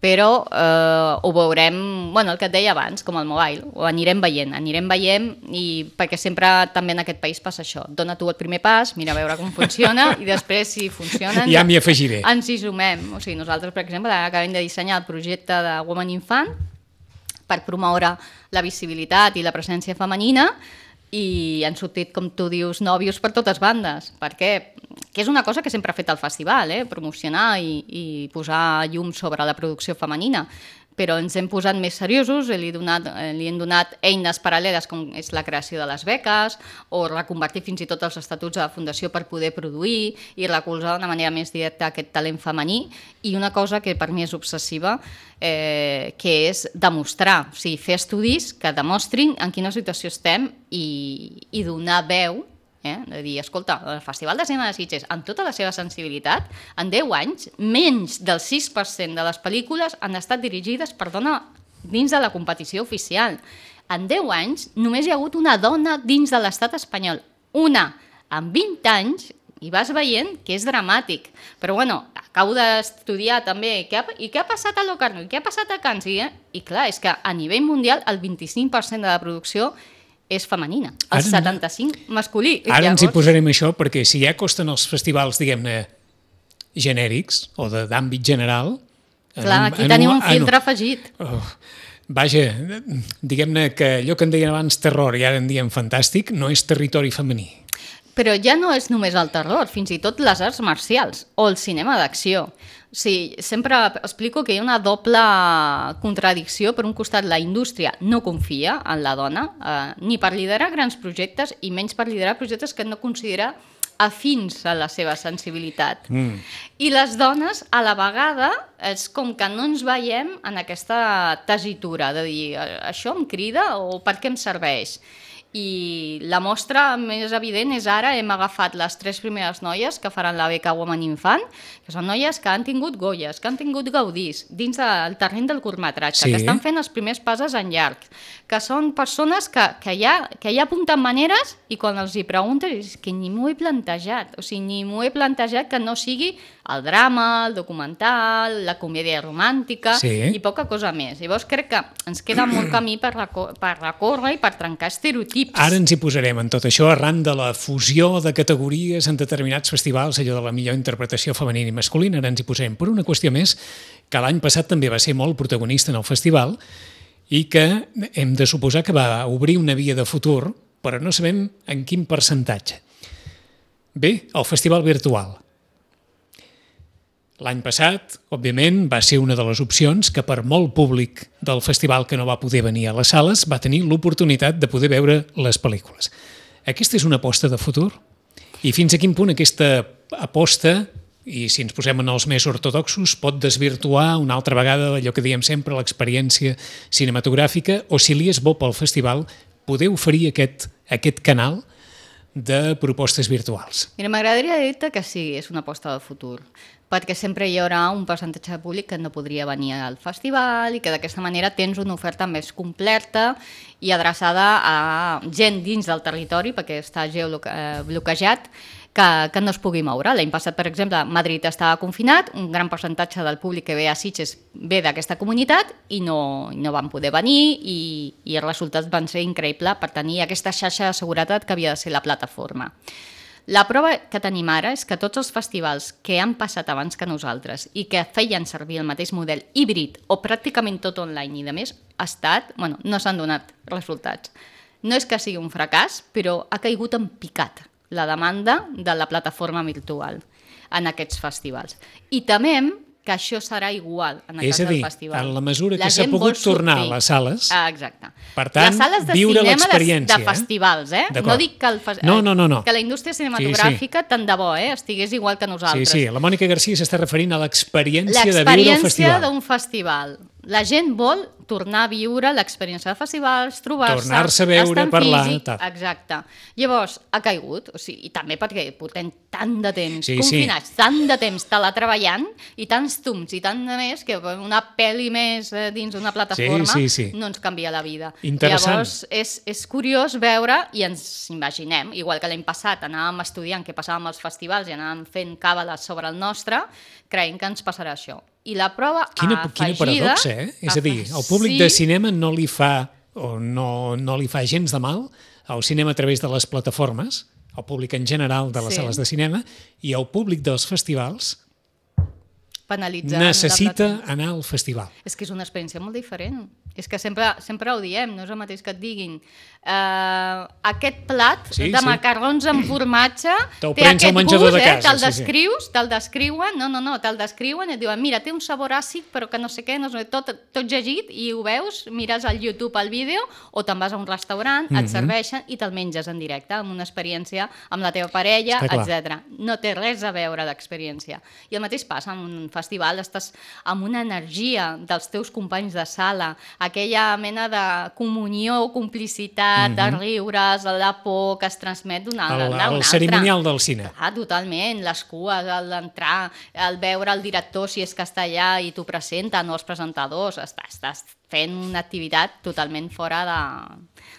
Però eh, ho veurem, bueno, el que et deia abans, com el mobile, ho anirem veient, anirem veient, i perquè sempre també en aquest país passa això. Dona tu el primer pas, mira a veure com funciona, i després, si funciona... Ja m'hi afegiré. Ens hi sumem. O sigui, nosaltres, per exemple, acabem de dissenyar el projecte de Woman Infant per promoure la visibilitat i la presència femenina, i han sortit, com tu dius, nòvios per totes bandes. Per què? Que és una cosa que sempre ha fet el festival, eh? Promocionar i, i posar llum sobre la producció femenina. Però ens hem posat més seriosos, li, donat, li hem donat eines paral·leles com és la creació de les beques o reconvertir fins i tot els estatuts de la Fundació per poder produir i recolzar d'una manera més directa aquest talent femení, i una cosa que per mi és obsessiva, eh, que és demostrar, o sigui, fer estudis que demostrin en quina situació estem i, i donar veu. Eh? De dir, escolta, el Festival de Cinema de Sitges, amb tota la seva sensibilitat, en deu anys, menys del sis per cent de les pel·lícules han estat dirigides per dona dins de la competició oficial. En deu anys només hi ha hagut una dona dins de l'estat espanyol. Una, en vint anys, i vas veient que és dramàtic. Però bueno, acabo d'estudiar també què ha, i què ha passat a Locarno, i què ha passat a Cannes, i, eh? i clar, és que a nivell mundial el vint-i-cinc per cent de la producció és femenina, el Ara, setanta-cinc masculí. Ara Llavors... ens hi posarem això, perquè si ja costen els festivals, diguem-ne, genèrics o de- d'àmbit general... Clar, en aquí en tenim un en filtre afegit. Oh, vaja, diguem-ne que allò que en deien abans terror i ara en diem fantàstic no és territori femení. Però ja no és només el terror, fins i tot les arts marcials o el cinema d'acció. O sigui, sempre explico que hi ha una doble contradicció. Per un costat, la indústria no confia en la dona, eh, ni per liderar grans projectes i menys per liderar projectes que no considera afins a la seva sensibilitat. Mm. I les dones, a la vegada, és com que no ens veiem en aquesta tessitura de dir, això em crida o per què em serveix? I la mostra més evident és ara, hem agafat les tres primeres noies que faran la beca Woman Infant, que són noies que han tingut Goyes, que han tingut Gaudís, dins del terreny del curtmetratge, Sí. que estan fent els primers passes en llarg, que són persones que, que, ja, que ja apunten maneres i quan els hi preguntes és que ni m'ho he plantejat, o sigui, ni m'ho he plantejat que no sigui el drama, el documental, la comèdia romàntica Sí. i poca cosa més. Llavors crec que ens queda molt camí per, reco per recórrer i per trencar estereotips. Ara ens hi posarem en tot això arran de la fusió de categories en determinats festivals, allò de la millor interpretació femenina i masculina, ara ens hi posarem per una qüestió més que l'any passat també va ser molt protagonista en el festival i que hem de suposar que va obrir una via de futur, però no sabem en quin percentatge. Bé, el festival virtual. L'any passat, òbviament, va ser una de les opcions que per molt públic del festival que no va poder venir a les sales va tenir l'oportunitat de poder veure les pel·lícules. Aquesta és una aposta de futur? I fins a quin punt aquesta aposta, i si ens posem en els més ortodoxos, pot desvirtuar una altra vegada allò que diem sempre, l'experiència cinematogràfica, o si li és bo pel festival poder oferir aquest, aquest canal de propostes virtuals? Mira, m'agradaria dir-te que sí, és una aposta del futur, perquè sempre hi haurà un percentatge de públic que no podria venir al festival i que d'aquesta manera tens una oferta més completa i adreçada a gent dins del territori, perquè està geobloquejat, que, que no es pugui moure. L'any passat, per exemple, Madrid estava confinat, un gran percentatge del públic que ve a Sitges ve d'aquesta comunitat i no, no van poder venir i, i els resultats van ser increïbles per tenir aquesta xarxa de seguretat que havia de ser la plataforma. La prova que tenim ara és que tots els festivals que han passat abans que nosaltres i que feien servir el mateix model híbrid o pràcticament tot online i de més, ha estat, bueno, no s'han donat resultats. No és que sigui un fracàs, però ha caigut en picat la demanda de la plataforma virtual en aquests festivals. I temem que això serà igual en el és cas a dir, del festival. en la mesura que s'ha pogut tornar a les sales, ah, exacte. Per tant, les sales de viure de, l'experiència. de festivals, eh? No dic que, el fe... no, no, no, no. que la indústria cinematogràfica, sí, sí. tant de bo, eh? estigués igual que nosaltres. Sí, sí, la Mònica Garcia s'està referint a l'experiència de viure el L'experiència festival. d'un festival. La gent vol tornar a viure l'experiència de festivals, trobar-se, tornar-se a veure, estar en parlar, físic. tal. Exacte. Llavors, ha caigut, o sigui, i també perquè portem tant de temps sí, confinats, sí. tant de temps teletreballant i tants tums i tant de més que una pel·li més dins d'una plataforma sí, sí, sí. no ens canvia la vida. Interessant. Llavors, és, és curiós veure i ens imaginem, igual que l'any passat anàvem estudiant què passava amb els festivals i anàvem fent càbales sobre el nostre, creiem que ens passarà això. I la prova quina, afegida... Quina paradoxa, eh? És a dir, el públic sí. de cinema no li fa o no, no li fa gens de mal al cinema a través de les plataformes, el públic en general de les sí. sales de cinema, i el públic dels festivals necessita anar al festival. És que és una experiència molt diferent. És que sempre, sempre ho diem, no és el mateix que et diguin uh, aquest plat sí, de sí. macarrons amb formatge té aquest gust, de casa, eh? te'l sí, descrius, sí. te'l descriuen, no, no, no, te'l descriuen i et diuen, mira, té un sabor àcid però que no sé què, no sé, tot, tot llegit i ho veus, mires al YouTube el vídeo o te'n vas a un restaurant, mm-hmm. et serveixen i te'l menges en directe, amb una experiència amb la teva parella, etcètera. No té res a veure l'experiència. I el mateix passa en un festival, estàs amb una energia dels teus companys de sala, aquella mena de comunió, complicitat, mm-hmm. de riures, la por que es transmet d'una el, altra. El cerimonial del cine. Ah, totalment, les cues, l'entrar, el veure el director si és que està allà i t'ho presenten, o els presentadors, estàs, estàs fent una activitat totalment fora de,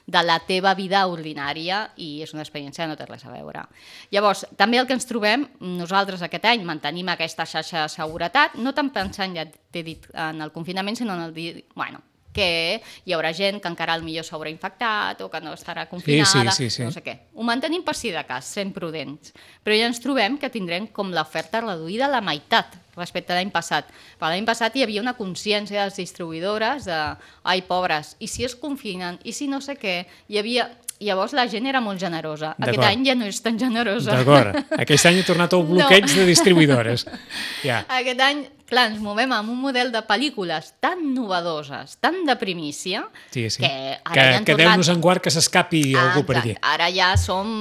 de la teva vida ordinària i és una experiència que no té res a veure. Llavors, també el que ens trobem, nosaltres aquest any mantenim aquesta xarxa de seguretat, no tant pensant, ja t'he dit, en el confinament, sinó en el dir, bueno, que hi haurà gent que encara millor s'haurà infectat o que no estarà confinada, sí, sí, sí, sí. no sé què. Ho mantenim per si de cas, sent prudents. Però ja ens trobem que tindrem com l'oferta reduïda a la meitat respecte a l'any passat. Per l'any passat hi havia una consciència de les distribuïdores de ai, pobres, i si es confinen, i si no sé què, hi havia... Llavors la gent era molt generosa. Aquest any ja no és tan generosa. D'acord. Aquest any ha tornat el bloqueig no. de distribuïdores. Ja. Aquest any, clar, ens movem amb un model de pel·lícules tan novedoses, tan de primícia, sí, sí. que ara que, ja han que tornat... Déu-nos en guard que s'escapi ah, algú per aquí. Ara ja som...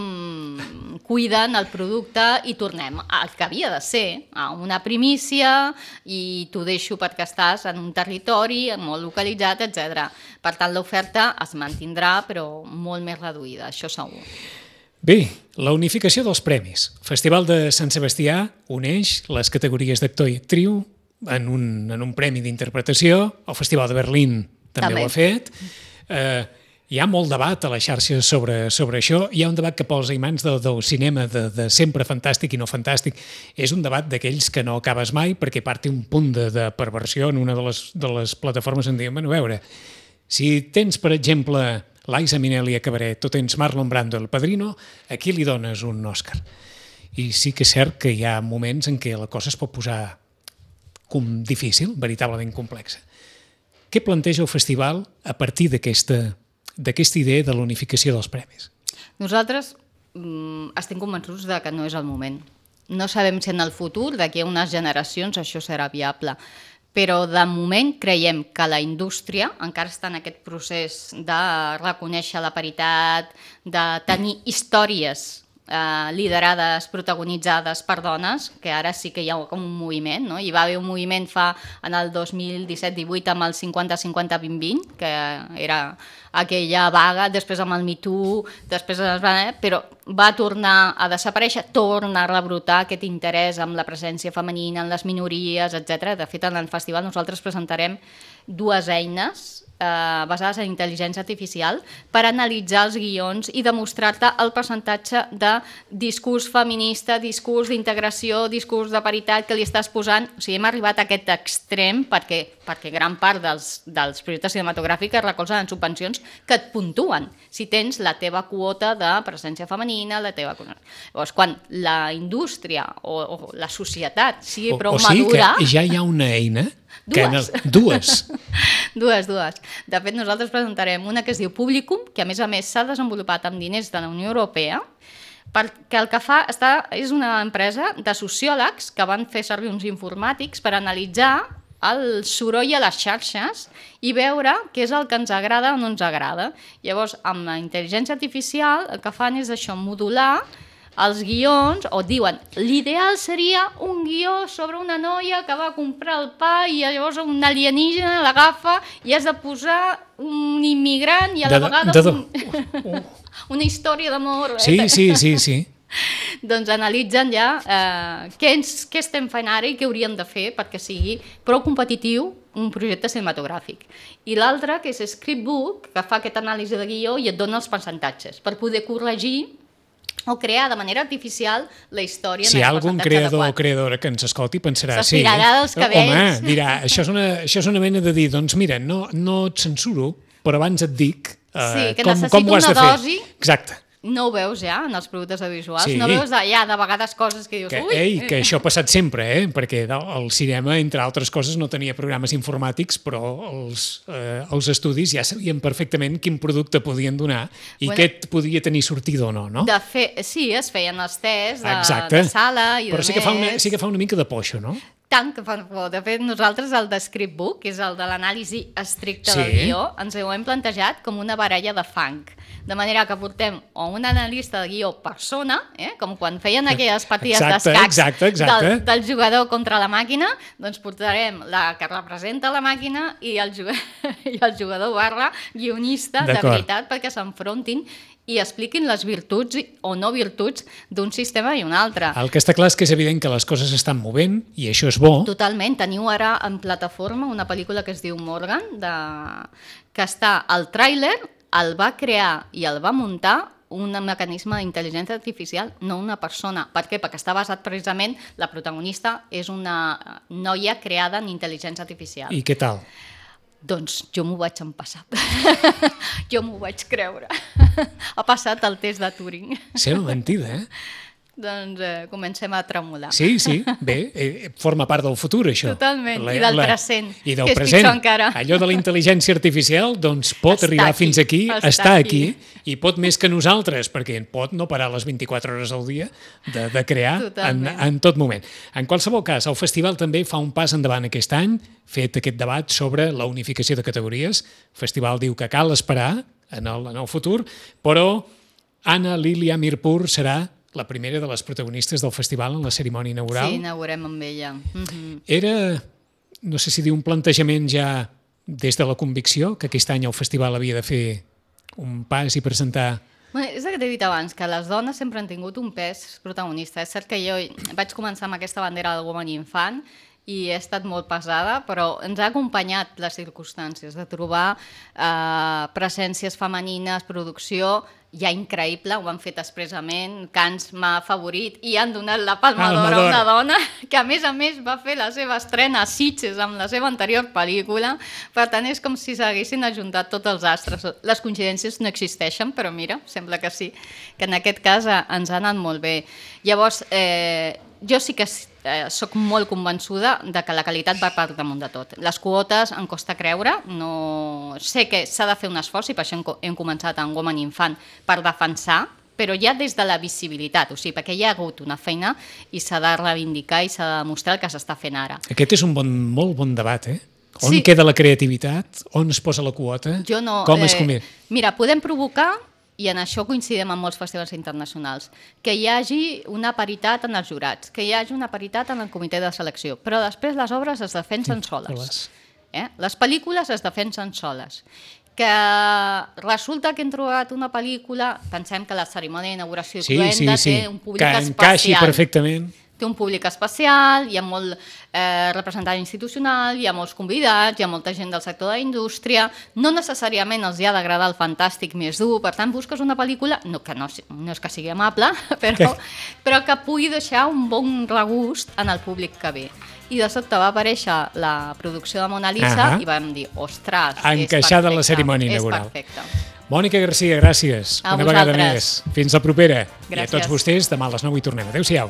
cuiden el producte i tornem al que havia de ser, a una primícia, i t'ho deixo perquè estàs en un territori molt localitzat, etcètera. Per tant, l'oferta es mantindrà, però molt més reduïda, això segur. Bé, la unificació dels premis. El Festival de Sant Sebastià uneix les categories d'actor i actriu en un, en un premi d'interpretació. El Festival de Berlín també, també. ho ha fet. Eh, hi ha molt debat a la xarxa sobre, sobre això. Hi ha un debat que pels imants del, del cinema de, de sempre fantàstic i no fantàstic. És un debat d'aquells que no acabes mai perquè part un punt de, de perversió en una de les, de les plataformes en diuen, bueno, a veure, si tens, per exemple, Liza Minnelli a Cabaret o tens Marlon Brando El Padrino, a qui li dones un Òscar? I sí que és cert que hi ha moments en què la cosa es pot posar com difícil, veritablement complexa. Què planteja el festival a partir d'aquesta d'aquesta idea de l'unificació dels premis? Nosaltres mm, estem convençuts de que no és el moment. No sabem si en el futur, d'aquí a unes generacions, això serà viable. Però de moment creiem que la indústria encara està en aquest procés de reconèixer la paritat, de tenir històries eh, liderades, protagonitzades per dones, que ara sí que hi ha com un moviment, no? Hi va haver un moviment fa en el dos mil disset divuit amb el cinquanta cinquanta vint vint, que era aquella vaga, després amb el Me Too, després es va, però va tornar a desaparèixer, torna a rebrotar aquest interès amb la presència femenina, en les minories, etcètera. De fet, en el festival nosaltres presentarem dues eines eh, basades en intel·ligència artificial per analitzar els guions i demostrar-te el percentatge de discurs feminista, discurs d'integració, discurs de paritat que li estàs posant. O sigui, hem arribat a aquest extrem perquè, perquè gran part dels, dels projectes cinematogràfics es recolzen en subvencions que et puntuen si tens la teva quota de presència femenina, la teva... Llavors, quan la indústria o, o la societat sigui prou o, o sigui madura... que ja hi ha una eina... Dues. Que el... Dues. dues, dues. De fet, nosaltres presentarem una que es diu Publicum, que a més a més s'ha desenvolupat amb diners de la Unió Europea, perquè el que fa està, és una empresa de sociòlegs que van fer servir uns informàtics per analitzar el soroll a les xarxes i veure què és el que ens agrada o no ens agrada. Llavors, amb la intel·ligència artificial el que fan és això, modular els guions, o diuen, l'ideal seria un guió sobre una noia que va comprar el pa i llavors un alienígena l'agafa i has de posar un immigrant i a la de, vegada de, de, un, uh. una història d'amor. Sí, sí, sí, sí. Doncs analitzen ja eh, què, ens, què estem fent ara i què hauríem de fer perquè sigui prou competitiu un projecte cinematogràfic. I l'altre, que és Scriptbook, que fa aquesta anàlisi de guió i et dona els percentatges per poder corregir o crear de manera artificial la història. Si hi ha algun creador o creadora que ens escolti pensarà, sí, dels cabells. Home, dirà, això és, una, això és una mena de dir, doncs mira, no, no et censuro, però abans et dic uh, sí, que com, com ho has de fer. Dosi. Exacte. No ho veus ja en els productes audiovisuals, sí. No veus ja de vegades coses que dius... Que, ui! ei, que això ha passat sempre, eh? Perquè el cinema, entre altres coses, no tenia programes informàtics, però els, eh, els estudis ja sabien perfectament quin producte podien donar i bueno, què et podia tenir sortida o no, no? De fe... Sí, es feien els tests de, Exacte. de sala i però de sí que, fa una, sí que fa una mica de poixo, no? Tant que fan por. De fet, nosaltres el de Scriptbook, que és el de l'anàlisi estricta sí. del guió, ens ho hem plantejat com una baralla de fang. De manera que portem o un analista de guió persona, eh? Com quan feien aquelles partides d'escacs del, del jugador contra la màquina, doncs portarem la que representa la màquina i el jugador, i el jugador barra guionista de veritat perquè s'enfrontin i expliquin les virtuts o no virtuts d'un sistema i un altre. El que està clar és que és evident que les coses estan movent i això és bo. Totalment. Teniu ara en plataforma una pel·lícula que es diu Morgan, de... que està al tràiler, el va crear i el va muntar un mecanisme d'intel·ligència artificial, no una persona. Per què? Perquè està basat precisament, la protagonista és una noia creada en intel·ligència artificial. I què tal? Doncs jo m'ho vaig empassar. Jo m'ho vaig creure. Ha passat el test de Turing. Sembla mentida, eh? Doncs eh, comencem a tremolar. Sí, sí, bé, eh, forma part del futur, això. Totalment, la, i del la, present, i del que és present. pitjor encara. Allò de la intel·ligència artificial doncs pot està arribar aquí, fins aquí, està, està aquí, aquí, i pot més que nosaltres, perquè pot no parar les vint-i-quatre hores al dia de, de crear en, en tot moment. En qualsevol cas, el festival també fa un pas endavant aquest any, fet aquest debat sobre la unificació de categories. El festival diu que cal esperar en el, en el futur, però Anna Lilia Mirpur serà la primera de les protagonistes del festival en la cerimònia inaugural. Sí, inaugurem amb ella. Mm-hmm. Era, no sé si dir, un plantejament ja des de la convicció, que aquest any el festival havia de fer un pas i presentar... Bé, és el que t'he dit abans, que les dones sempre han tingut un pes protagonista. És cert que jo vaig començar amb aquesta bandera del Woman Infant i he estat molt pesada, però ens ha acompanyat les circumstàncies de trobar eh, presències femenines, producció ja increïble, ho han fet expressament, Cans m'ha favorit i han donat la Palma d'Or a una dona que a més a més va fer la seva estrena a Sitges amb la seva anterior pel·lícula, per tant és com si s'haguessin ajuntat tots els astres. Les coincidències no existeixen, però mira, sembla que sí, que en aquest cas ens ha anat molt bé. Llavors, eh, jo sí que eh, soc molt convençuda de que la qualitat va per damunt de tot. Les quotes em costa creure, no... sé que s'ha de fer un esforç i per això hem, hem començat amb Woman Infant per defensar però ja des de la visibilitat, o sigui, perquè hi ha hagut una feina i s'ha de reivindicar i s'ha de demostrar el que s'està fent ara. Aquest és un bon, molt bon debat, eh? On Sí. queda la creativitat? On es posa la quota? Jo no, Com es eh, convé? Mira, podem provocar, i en això coincidim amb molts festivals internacionals, que hi hagi una paritat en els jurats, que hi hagi una paritat en el comitè de selecció, però després les obres es defensen soles. soles. Eh? Les pel·lícules es defensen soles. Que resulta que hem trobat una pel·lícula, pensem que la cerimònia d'inauguració Sí, cruenta sí, sí. té un públic Que encaixi especial. perfectament. Té un públic especial, hi ha molt eh, representant institucional, hi ha molts convidats, hi ha molta gent del sector de la indústria, no necessàriament els hi ha d'agradar el fantàstic més dur, per tant busques una pel·lícula, no, que no, no és que sigui amable, però, però que pugui deixar un bon regust en el públic que ve. I de sobte va aparèixer la producció de Mona Lisa Ahà. i vam dir, ostres, Encaixada en la és perfecte, cerimònia és inaugural. perfecte. Mònica Garcia, gràcies. A una vegada vosaltres. més. Fins la propera. I a Gràcies. tots vostès, demà a les nou hi tornem. Adéu-siau.